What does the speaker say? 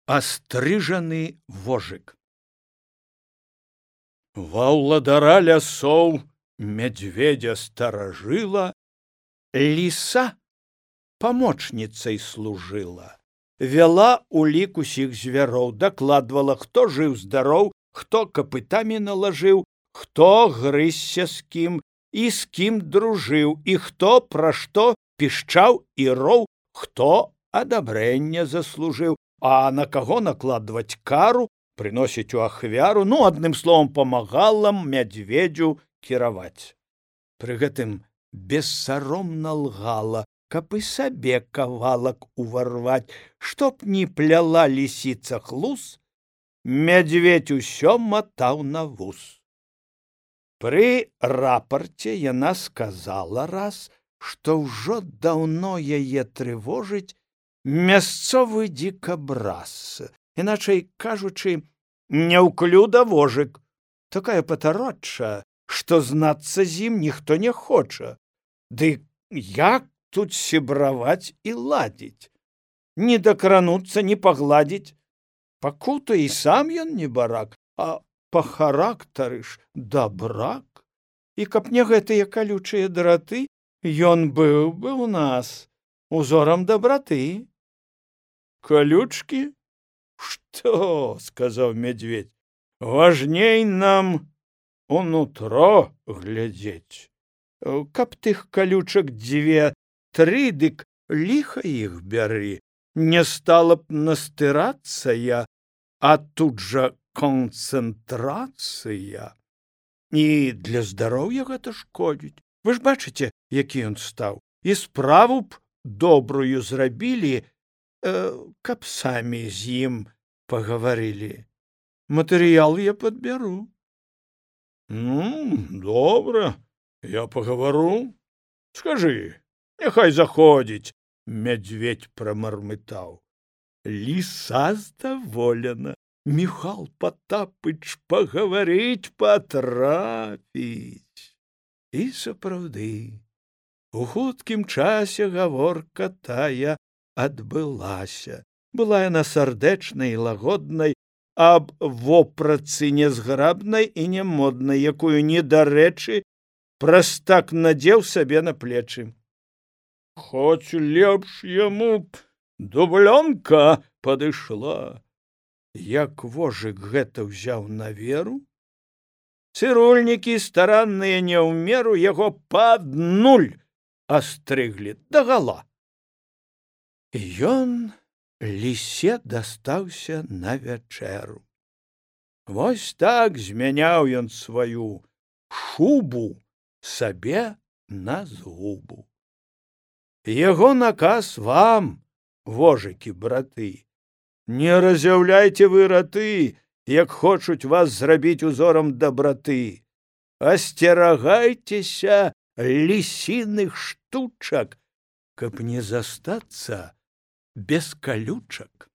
Астрыжаны вожык. Ва ўладара лясоў мядзведзя старажыла, ліса памочніцай служыла, вяла улік усіх звяроў, дакладвала, хто жыў-здароў, хто капытамі налажыў, хто грызся з кім і з кім дружыў, і хто пра што пішчаў і роў, хто адабрэнне заслужыў, а на каго накладваць кару, прыносіць у ахвяру, адным словам, памагала мядзведзю кіраваць. Пры гэтым бессаромна лгала, каб і сабе кавалак уварваць, чтоб не пляла лісіца хлус, мядзведь усё матаў на вус. Пры рапарце яна сказала раз, што ўжо даўно яе трывожыць мясцовы дзікабраз, іначай кажучы, няўклюда вожык, такая патародча, што знацца з ім ніхто не хоча. Ды як тут сябраваць і ладзіць? Не дакрануцца, не пагладзіць. Пакута і сам ён не барак, а па характары ж дабрак. І каб не гэтыя калючыя драты, ён быў бы ў нас узорам дабраты. Колючки? Что, сказаў мядзведь, важней нам унутро глядзець. Каб тых калючак 2-3, дык ліха іх бяры, не стала б настырацца я, а тут жа канцэнтрацыя. І для здароўя гэта шкодзіць. Вы ж бачыце, які ён стаў. І справу б добрую зрабілі, каб самі з ім пагаварылі. Матэрыял я падбяру. Добра, я пагавару. Скажы, няхай заходзіць, мядзведь прамармытаў. Ліса здаволена. Міхал Патапыч пагаварыць патрапіць. І сапраўды, у хуткім часе гаворка тая адбылася. Была яна сардэчнай і лагоднай, аб вопратцы нязграбнай і нямоднай, якую недарэчы прастак надзеў сабе на плечы. Хоць лепш яму б дублёнка падышла. Як вожык гэта ўзяў на веру, цырульнікі старанныя не ў меру яго пад нуль астрыглі дагала. І ён лісе дастаўся на вячэру. Вось так змяняў ён сваю шубу сабе на згубу. Яго наказ вам, вожыкі браты, не разяўляйце вы раты, як хочуць вас зрабіць узорам дабраты. Асцерагайцеся лісіных штучак, каб не застацца без калючак.